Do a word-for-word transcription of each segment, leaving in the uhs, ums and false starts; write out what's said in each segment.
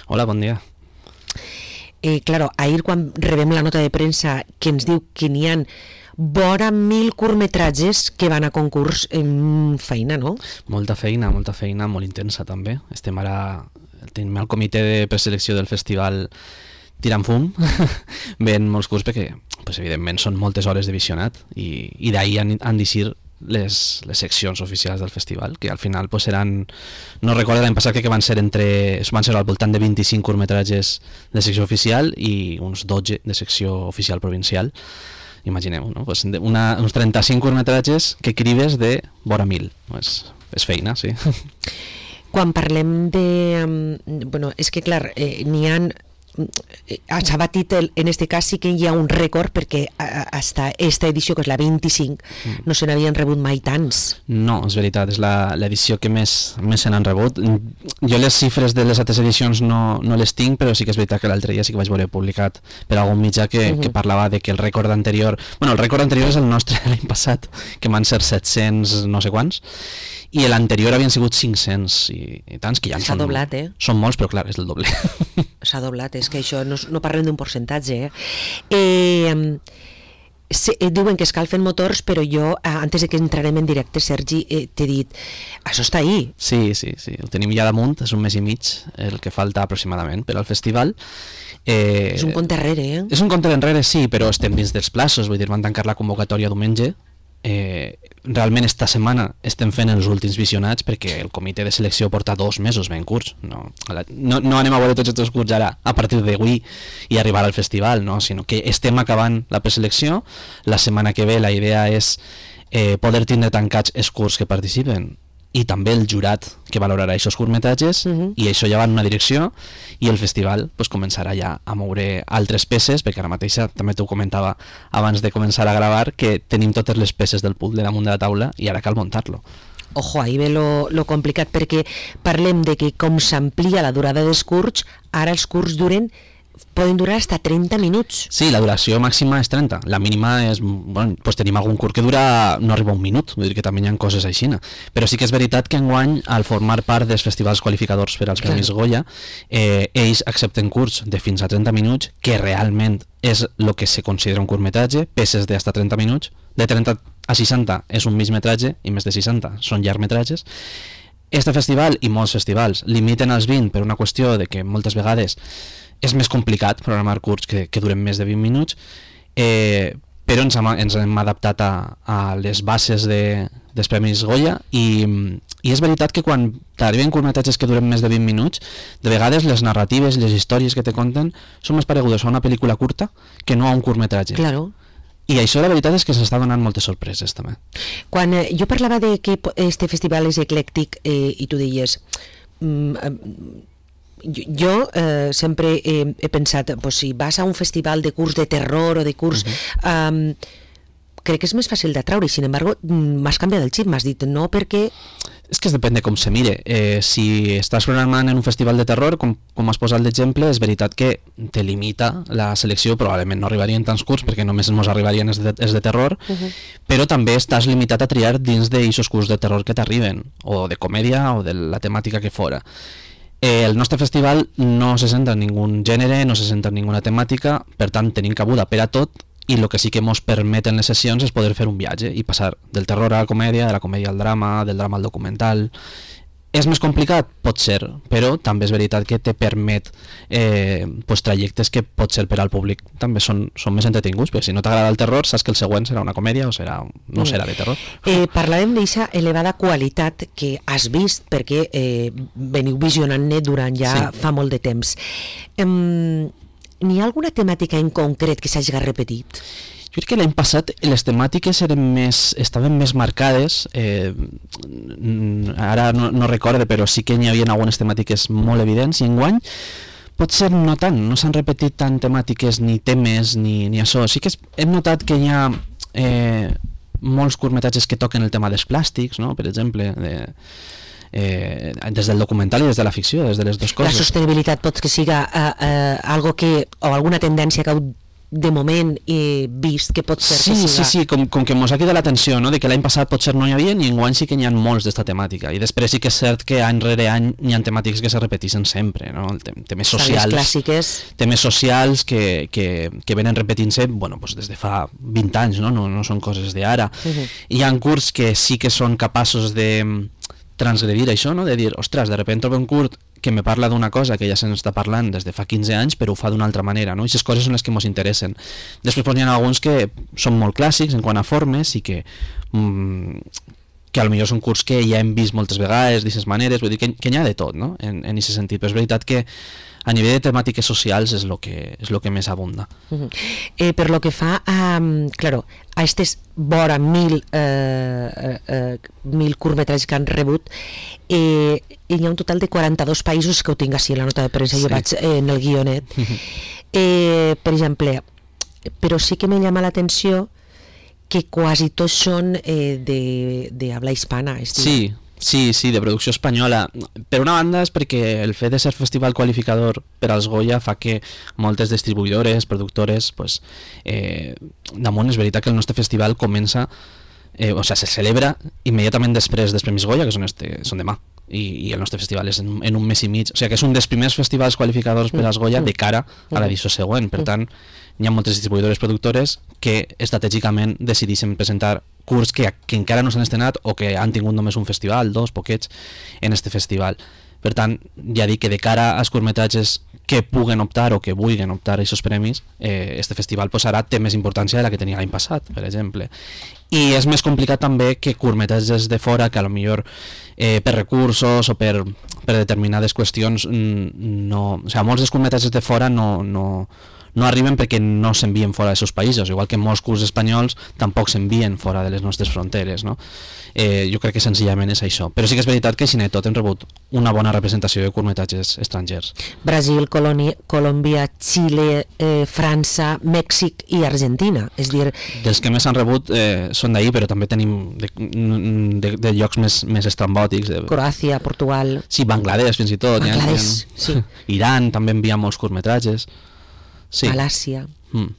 Hola, bon dia. Eh, claro, ahir quan rebem la nota de premsa que ens diu que n'hi ha vora mil curtmetratges que van a concurs, en feina, no? Molta feina, molta feina, molt intensa també. Estem ara, tenim el comitè de preselecció del festival tirant fum, ven molts curts perquè, pues, evidentment, són moltes hores de visionat i, i d'ahir han, han d'eixir les, les seccions oficials del festival, que al final pues, seran, no recordo l'any passat que van ser entre, van ser al voltant de vint-i-cinc curtmetratges de secció oficial i uns dotze de secció oficial provincial. Imagineu, no? Pues una, uns trenta-cinc curtmetratges que crives de vora mil. Pues, és feina, sí. Quan parlem de... Bueno, és que clar, eh, n'hi ha... s'ha batit el, en este cas sí que hi ha un rècord perquè hasta esta edició, que és la vint-i-cinc, mm. no se n'havien rebut mai tants. No, és veritat, és l'edició que més, més se n'han rebut. Jo les xifres de les altres edicions no, no les tinc, però sí que és veritat que l'altre dia sí que vaig veure publicat per algun mitjà que, mm-hmm. que parlava de que el rècord anterior... Bueno, el rècord anterior és el nostre l'any passat, que van ser set-cents no sé quants, i l'anterior havien sigut cinc-cents i, i tants, que ja s'ha són, doblat, eh? Són molts, però clar, és el doble. S'ha doblat, és que això no, no parlem d'un percentatge, eh? Eh, se, eh, diuen que escalfen motors, però jo, eh, antes de que entrarem en directe, Sergi, eh, t'he dit, això està ahí. Sí, sí, sí, ho tenim ja damunt, és un mes i mig el que falta aproximadament per al festival. Eh, és un compte enrere, eh? És un compte enrere, sí, però estem dins dels plaços, vull dir, van tancar la convocatòria diumenge. Eh, realment esta setmana estem fent els últims visionats perquè el comitè de selecció porta dos mesos ben curts, no, no, no anem a veure tots aquests curts ara a partir d'avui i arribar al festival, no? Sinó que estem acabant la preselecció. La setmana que ve la idea és eh, poder tindre tancats els curts que participen i també el jurat que valorarà aquests curtmetratges, uh-huh. i això ja va en una direcció i el festival pues, començarà ja a moure altres peces, perquè ara mateixa també t'ho comentava abans de començar a gravar que tenim totes les peces del puzzle damunt de la taula i ara cal muntar-lo. Ojo, ahí ve lo, lo complicat, perquè parlem de que com s'amplia la durada dels curts, ara els curts duren poden durar hasta trenta minuts. Sí, la duració màxima és trenta, la mínima és, bueno, pues tenim algun curt que dura, no arriba a un minut, vull dir que també hi ha coses així, però sí que és veritat que enguany, al formar part dels festivals qualificadors per als Premis Goya, eh, ells accepten curts de fins a trenta minuts, que realment és el que se considera un curtmetratge, peces de hasta trenta minuts, de trenta a seixanta és un migmetratge i més de seixanta són llargmetratges. Este festival i molts festivals limiten els vint per una qüestió de que moltes vegades és més complicat programar curts que, que duren més de vint minuts, eh, però ens hem, ens hem adaptat a, a les bases de, dels Premis Goya i, i és veritat que quan t'arriben curtmetratges que duren més de vint minuts, de vegades les narratives, les històries que te conten són més paregudes a una pel·lícula curta que no a un curtmetratge. Claro. I això la veritat és que s'està donant moltes sorpreses també. Quan eh, jo parlava de que este festival és eclèctic eh, i tu deies mm, eh, jo, jo eh, sempre he, he pensat pues, si vas a un festival de curs de terror o de curs uh-huh. um, crec que és més fàcil d'atraure i sin embargo m'has canviat el xip, m'has dit no perquè... És que es depèn de com se mire. Eh, si estàs programant en un festival de terror, com, com has posat l'exemple, és veritat que te limita la selecció, probablement no arribarien tants curts perquè només ens arribarien els de, els de terror, uh-huh. però també estàs limitat a triar dins d'aquests curts de terror que t'arriben, o de comèdia o de la temàtica que fora. Eh, el nostre festival no se centra en ningú gènere, no se centra en ninguna temàtica, per tant tenim cabuda per a tot i el que sí que ens permeten les sessions és poder fer un viatge i passar del terror a la comèdia, de la comèdia al drama, del drama al documental. És més complicat? Pot ser, però també és veritat que te permet eh, pues, trajectes que pot ser per al públic també són, són més entretinguts, perquè si no t'agrada el terror saps que el següent serà una comèdia o serà, no serà de terror. Eh, parlàvem d'aquesta elevada qualitat que has vist perquè eh, veniu visionant-ne durant ja sí. fa molt de temps. Eh, n'hi ha alguna temàtica en concret que s'hagi repetit? Jo crec que l'any passat les temàtiques eren més, estaven més marcades, eh, ara no, no recorde, però sí que n'hi havia algunes temàtiques molt evidents, i enguany potser no tant, no s'han repetit tant temàtiques ni temes ni, ni això. Sí que es, hem notat que hi ha eh, molts curtmetratges que toquen el tema dels plàstics, no? Per exemple, de, eh, des del documental i des de la ficció, des de les dues coses. La sostenibilitat pot que siga eh, eh, algo que, o alguna tendència que heu de moment he vist que pot ser sí, que siga... siga... Sí, sí, com, com que mos ha cridat l'atenció, no? De que l'any passat potser no hi havia i enguany sí que n'hi ha molts d'esta temàtica, i després sí que és cert que any rere any hi ha temàtiques que se repeteixen sempre, no? Tem temes socials, clàssiques. temes socials que, que, que venen repetint-se, bueno, pues des de fa vint anys, no? No, no són coses d'ara. Uh -huh. Hi ha curts que sí que són capaços de transgredir això, no? De dir, ostres, de repente trobo un curt que me parla d'una cosa que ja se'n està parlant des de fa quinze anys, però ho fa d'una altra manera, no? I aquestes coses són les que ens interessen. Després pues, hi ha alguns que són molt clàssics en quant a formes i que mmm, que potser són curts que ja hem vist moltes vegades d'aquestes maneres, vull dir que, que n'hi ha de tot, no? En aquest sentit, però és veritat que a nivell de temàtiques socials és el que, és lo que més abunda. Uh -huh. eh, per lo que fa a, um, claro, a estes vora mil, eh, eh, eh, mil curtmetratges que han rebut, eh, hi ha un total de quaranta-dos països que ho tinc així en la nota de premsa, sí. Jo vaig eh, en el guionet. Uh -huh. eh, per exemple, però sí que me llama l'atenció que quasi tots són eh, de, de habla hispana. Sí, sí, sí, de producció espanyola. Per una banda és perquè el fet de ser festival qualificador per als Goya fa que moltes distribuïdores, productores, pues, eh, damunt és veritat que el nostre festival comença, eh, o sigui, se celebra immediatament després dels Premis Goya, que són, este, són demà, i, i el nostre festival és en, en un mes i mig, o sigui que és un dels primers festivals qualificadors per als Goya de cara a l'edició següent. Per tant, hi ha moltes distribuïdores productores que estratègicament decideixen presentar curts que, que encara no s'han estrenat o que han tingut només un festival, dos, poquets, en este festival. Per tant, ja dic que de cara als curtmetratges que puguen optar o que vulguin optar a aquests premis, eh, este festival pues, ara té més importància de la que tenia l'any passat, per exemple. I és més complicat també que curtmetratges de fora, que a lo millor eh, per recursos o per, per determinades qüestions, no, o sigui, molts dels curtmetratges de fora no... no no arriben perquè no s'envien fora dels seus països, igual que molts curts espanyols tampoc s'envien fora de les nostres fronteres, no? Eh, jo crec que senzillament és això, però sí que és veritat que així de tot hem rebut una bona representació de curtmetratges estrangers. Brasil, Colònia, Colòmbia, Xile, eh, França, Mèxic i Argentina, és dir... Dels que més han rebut eh, són d'ahir, però també tenim de, de, de llocs més, més estrambòtics. De... Croàcia, Portugal... Sí, Bangladesh fins i tot. Bangladesh, ha, sí. Iran també envia molts curtmetratges. Sí. Malàcia. Mm.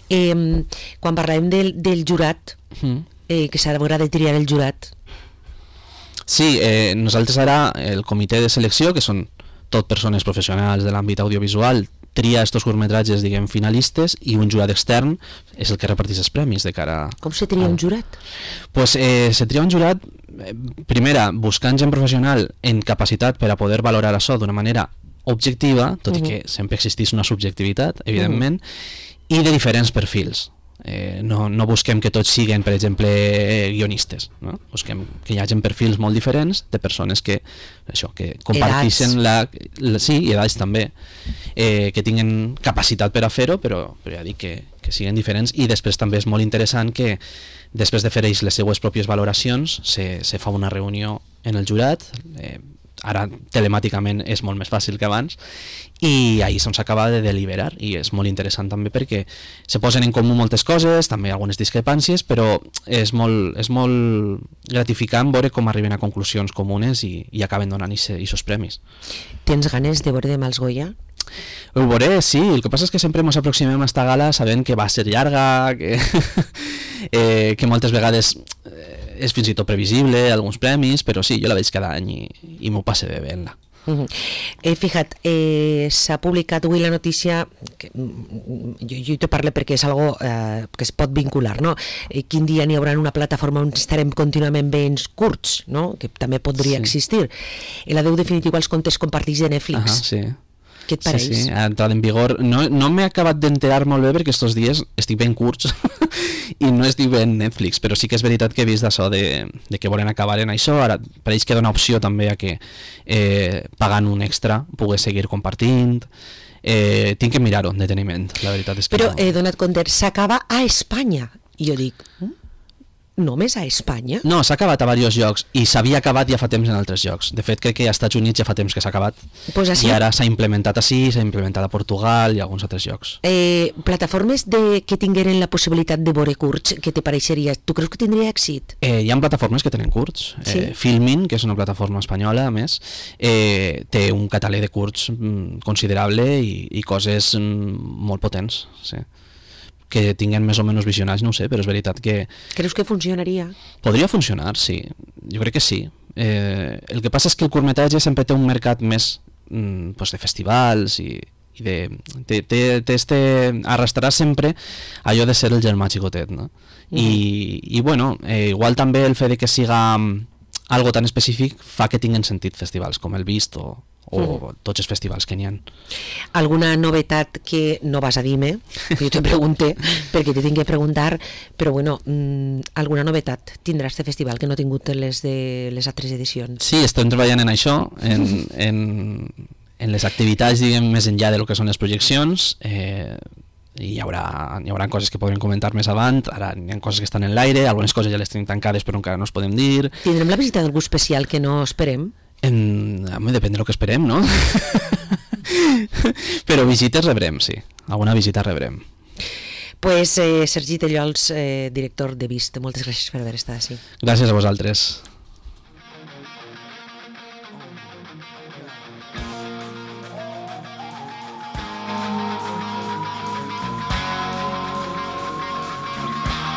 Eh, quan parlem del, del jurat, mm. eh, que s'haurà de triar el jurat. Sí, eh, nosaltres ara el comitè de selecció, que són tot persones professionals de l'àmbit audiovisual, tria estos curtmetratges, diguem, finalistes, i un jurat extern és el que reparteix els premis de cara... Com se tria a... un jurat? Pues eh, se tria un jurat, eh, primera, buscant gent professional en capacitat per a poder valorar això d'una manera objectiva, tot uh -huh. i que sempre existís una subjectivitat, evidentment, uh -huh. i de diferents perfils. Eh, no, no busquem que tots siguin, per exemple, guionistes, no? Busquem que hi hagi perfils molt diferents de persones que, això, que comparteixen la, la... Sí, i edats també, eh, que tinguen capacitat per a fer-ho, però, però ja dic que, que siguin diferents, i després també és molt interessant que després de fer ells les seues pròpies valoracions se, se fa una reunió en el jurat, eh, ara telemàticament és molt més fàcil que abans, i ahir se'ns acaba de deliberar, i és molt interessant també perquè se posen en comú moltes coses, també algunes discrepàncies, però és molt, és molt gratificant veure com arriben a conclusions comunes i, i acaben donant aquests premis. Tens ganes de veure demà els Goya? Ho veuré, sí, el que passa és que sempre ens aproximem a esta gala sabent que va ser llarga, que, eh, que moltes vegades eh, és fins i tot previsible, alguns premis, però sí, jo la veig cada any i, i m'ho passe bé veient-la. Uh -huh. eh, Fija't, eh, s'ha publicat avui la notícia, que, jo, jo te parlo perquè és algo eh, que es pot vincular, no? Eh, quin dia n'hi haurà una plataforma on estarem contínuament veient curts, no? Que també podria sí. existir. El adeu definitiu als comptes compartits de Netflix. Uh -huh, sí. Què et pareix? Sí, sí, ha entrat en vigor. No, no m'he acabat d'enterar molt bé perquè estos dies estic ben curts i no estic ben Netflix, però sí que és veritat que he vist això de, de que volen acabar en això. Ara pareix que dona opció també a que eh, pagant un extra pugues seguir compartint. Eh, tinc que mirar-ho deteniment, la veritat és que però no... he donat compte, s'acaba a Espanya i jo dic, només a Espanya? No, s'ha acabat a diversos llocs i s'havia acabat ja fa temps en altres llocs. De fet, crec que als Estats Units ja fa temps que s'ha acabat. Pues així... I ara s'ha implementat així, s'ha implementat a Portugal i a alguns altres llocs. Eh, plataformes de, que tingueren la possibilitat de veure curts, què te pareixeria? Tu creus que tindria èxit? Eh, hi ha plataformes que tenen curts. Sí? Eh, Filmin, que és una plataforma espanyola, a més, eh, té un catàleg de curts mm, considerable i, i coses mm, molt potents, sí. que tinguen més o menys visionats, no ho sé, però és veritat que... Creus que funcionaria? Podria funcionar, sí. Jo crec que sí. Eh, el que passa és que el curtmetratge sempre té un mercat més mm, pues de festivals i, i de... Té, té, té este... arrastrarà sempre allò de ser el germà xicotet, no? Mm. I, i bueno, eh, igual també el fet de que siga algo tan específic fa que tinguen sentit festivals com el Vist o, o mm. tots els festivals que n'hi ha. Alguna novetat que no vas a dir-me, jo te pregunté perquè te tinc que preguntar, però bueno, mmm, alguna novetat tindrà este festival que no ha tingut les de les altres edicions? Sí, estem treballant en això, en, en, en les activitats, diguem, més enllà del que són les projeccions. eh, i hi haurà, hi haurà coses que podrem comentar més avant, ara hi ha coses que estan en l'aire, algunes coses ja les tenim tancades però encara no es podem dir. Tindrem la visita d'algú especial que no esperem? En... Home, depèn del que esperem, no? Però visites rebrem, sí. Alguna visita rebrem. Pues eh, Sergi Tellols, eh, director de Vist, moltes gràcies per haver estat així. Gràcies a vosaltres.